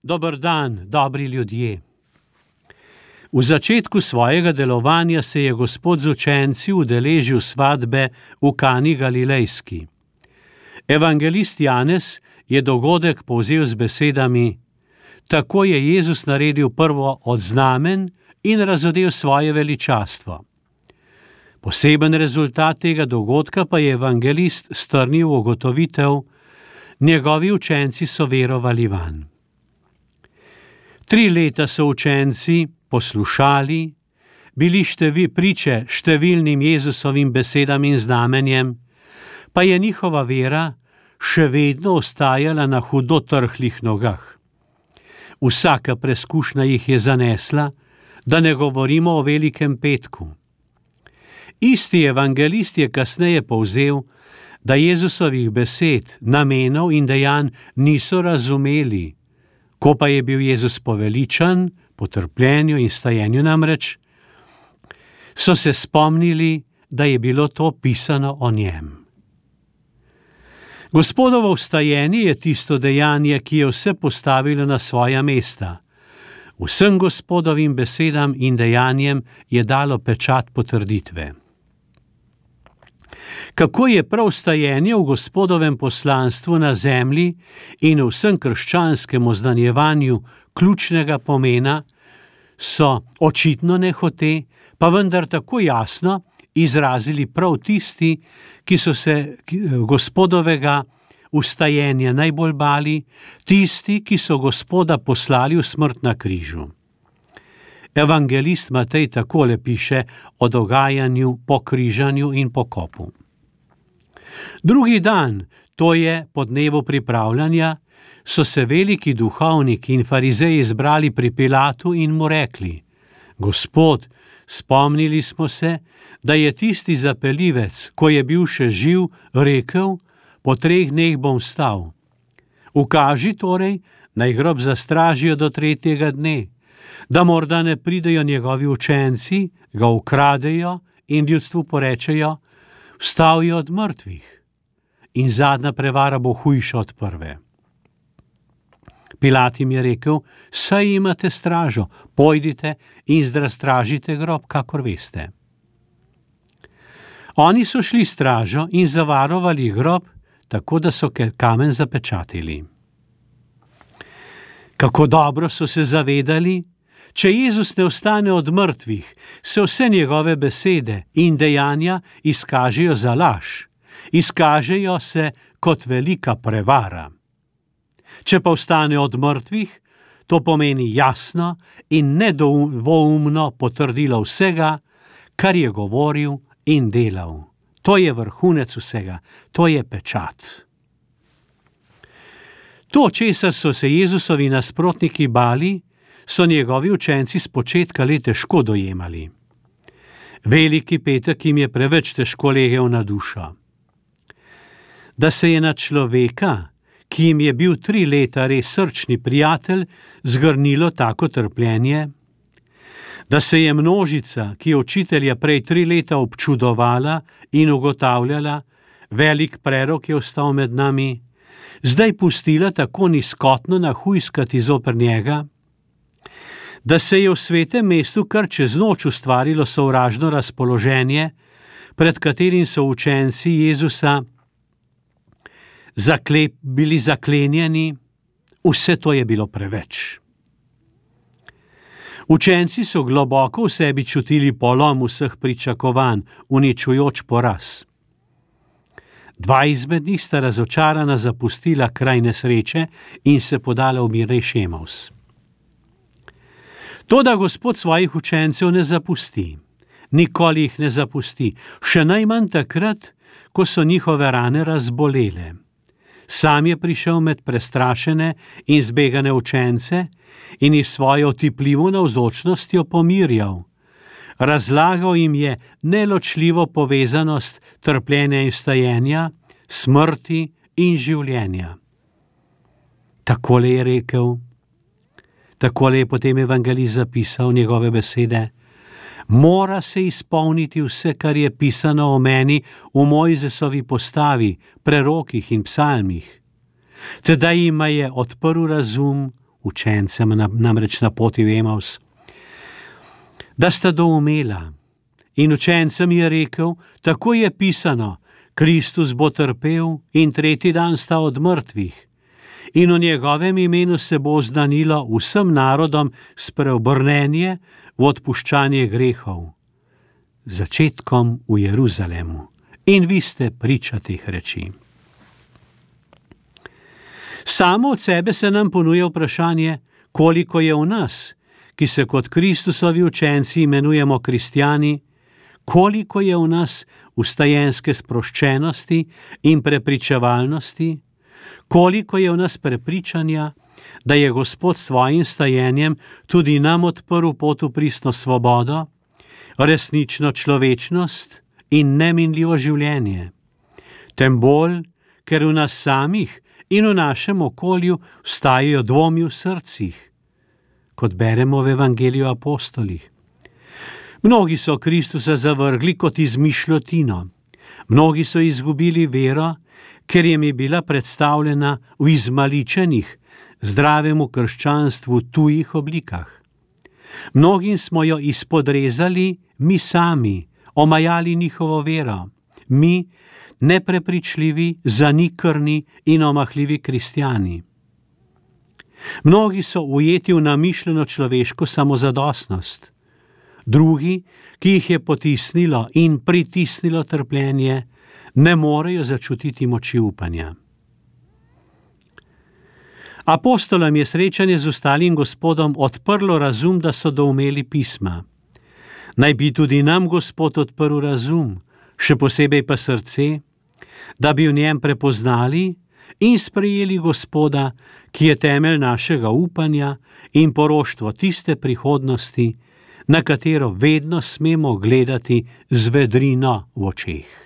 Dober dan, dobri ljudje. V začetku svojega delovanja se je Gospod z učenci udeležil svatbe v Kani Galilejski. Evangelist Janez je dogodek povzel z besedami: tako je Jezus naredil prvo od znamen in razodel svoje veličastvo. Poseben rezultat tega dogodka pa je evangelist strnil v ugotovitev: njegovi učenci so verovali vanj. 3 leta so učenci poslušali, bili priče številnim Jezusovim besedam in znamenjem, pa je njihova vera še vedno ostajala na hudo trhlih nogah. Vsaka preskušnja jih je zanesla, da ne govorimo o velikem petku. Isti evangelist je kasneje povzel, da Jezusovih besed, namenov in dejanj niso razumeli. Ko pa je bil Jezus poveličan, po trpljenju in stajenju namreč, so se spomnili, da je bilo to pisano o njem. Gospodovo vstajenje je tisto dejanje, ki je vse postavilo na svoja mesta. Vsem Gospodovim besedam in dejanjem je dalo pečat potrditve. Kako je prav vstajenje v Gospodovem poslanstvu na zemlji in v vsem krščanskem oznanjevanju ključnega pomena, so očitno nehote, pa vendar tako jasno izrazili prav tisti, ki so se Gospodovega vstajenja najbolj bali, tisti, ki so Gospoda poslali v smrt na križu. Evangelist Matej takole piše o dogajanju po križanju in pokopu. Drugi dan, to je po dnevu pripravljanja, so se veliki duhovniki in farizeji zbrali pri Pilatu in mu rekli: Gospod, spomnili smo se, da je tisti zapeljivec, ko je bil še živ, rekel: po 3 dneh bom vstal. Ukaži torej, naj grob zastražijo do 3. dne, da morda ne pridejo njegovi učenci, ga ukradejo in ljudstvu porečejo: vstal je od mrtvih. In zadnja prevara bo hujša od prve. Pilat jim je rekel: saj imate stražo, pojdite in stražite grob, kakor veste. Oni so šli stražo in zavarovali grob, tako da so kamen zapečatili. Kako dobro so se zavedali, če Jezus ne vstane od mrtvih, se vse njegove besede in dejanja izkažejo za laž, izkažejo se kot velika prevara. Če pa vstane od mrtvih, to pomeni jasno in nedvoumno potrdilo vsega, kar je govoril in delal. To je vrhunec vsega, to je pečat. To, česar so se Jezusovi nasprotniki bali, so njegovi učenci spočetka le težko dojemali. Veliki petek jim je preveč težko legel na dušo. Da se je na človeka, ki jim je bil 3 leta res srčni prijatelj, zgrnilo tako trpljenje, da se je množica, ki je učitelja prej 3 leta občudovala in ugotavljala, velik prerok je ostal med nami, zdaj pustila tako nizkotno nahujskati zoper njega, da se je v svetem mestu kar čez noč ustvarilo sovražno razpoloženje, pred katerim so učenci Jezusa bili zaklenjeni, vse to je bilo preveč. Učenci so globoko v sebi čutili polom vseh pričakovanj, uničujoč poraz. 2 izmed njih sta razočarana zapustila kraj nesreče in se podala v Mirej Šemaus. Toda Gospod svojih učencev ne zapusti, nikoli jih ne zapusti, še najmanj takrat, ko so njihove rane razbolele. Sam je prišel med prestrašene in zbegane učence in jih svojo otipljivo navzočnostjo pomirjal. Razlagal jim je neločljivo povezanost trpljenja in vstajenja, smrti in življenja. Takole je rekel, takole je potem evangelist zapisal njegove besede: mora se izpolniti vse, kar je pisano o meni v Mojzesovi postavi, prerokih in psalmih. Tedaj jima je odprl razum, učencem namreč na poti v Emaus, da sta doumela. In učencem je rekel, tako je pisano, Kristus bo trpel in tretji dan sta od mrtvih. In v njegovem imenu se bo oznanilo vsem narodom spreobrnenje v odpuščanje grehov. Začetkom v Jeruzalemu. In vi ste priča teh reči. Samo od sebe se nam ponuja vprašanje, koliko je v nas, ki se kot Kristusovi učenci imenujemo kristjani, koliko je v nas vstajenske sproščenosti in prepričevalnosti, koliko je v nas prepričanja, da je Gospod s svojim stajenjem tudi nam odprl pot v pristno svobodo, resnično človečnost in neminljivo življenje. Tem bolj, ker v nas samih in v našem okolju vstajajo dvomi v srcih, kot beremo v Evangeliju apostolih. Mnogi so Kristusa zavrgli kot izmišljotino. Mnogi so izgubili vero, ker jim je bila predstavljena v izmaličenih, zdravemu krščanstvu tujih oblikah. Mnogim smo jo izpodrezali mi sami, omajali njihovo vero. Mi, neprepričljivi, zanikrni in omahljivi kristjani. Mnogi so ujeti v namišljeno človeško samozadostnost. Drugi, ki jih je potisnilo in pritisnilo trpljenje, ne morejo začutiti moči upanja. Apostolom je srečanje z ostalim Gospodom odprlo razum, da so doumeli pisma. Naj bi tudi nam Gospod odprl razum, še posebej pa srce, da bi v njem prepoznali in sprejeli Gospoda, ki je temelj našega upanja in poroštvo tiste prihodnosti, na katero vedno smemo gledati z vedrino v očeh.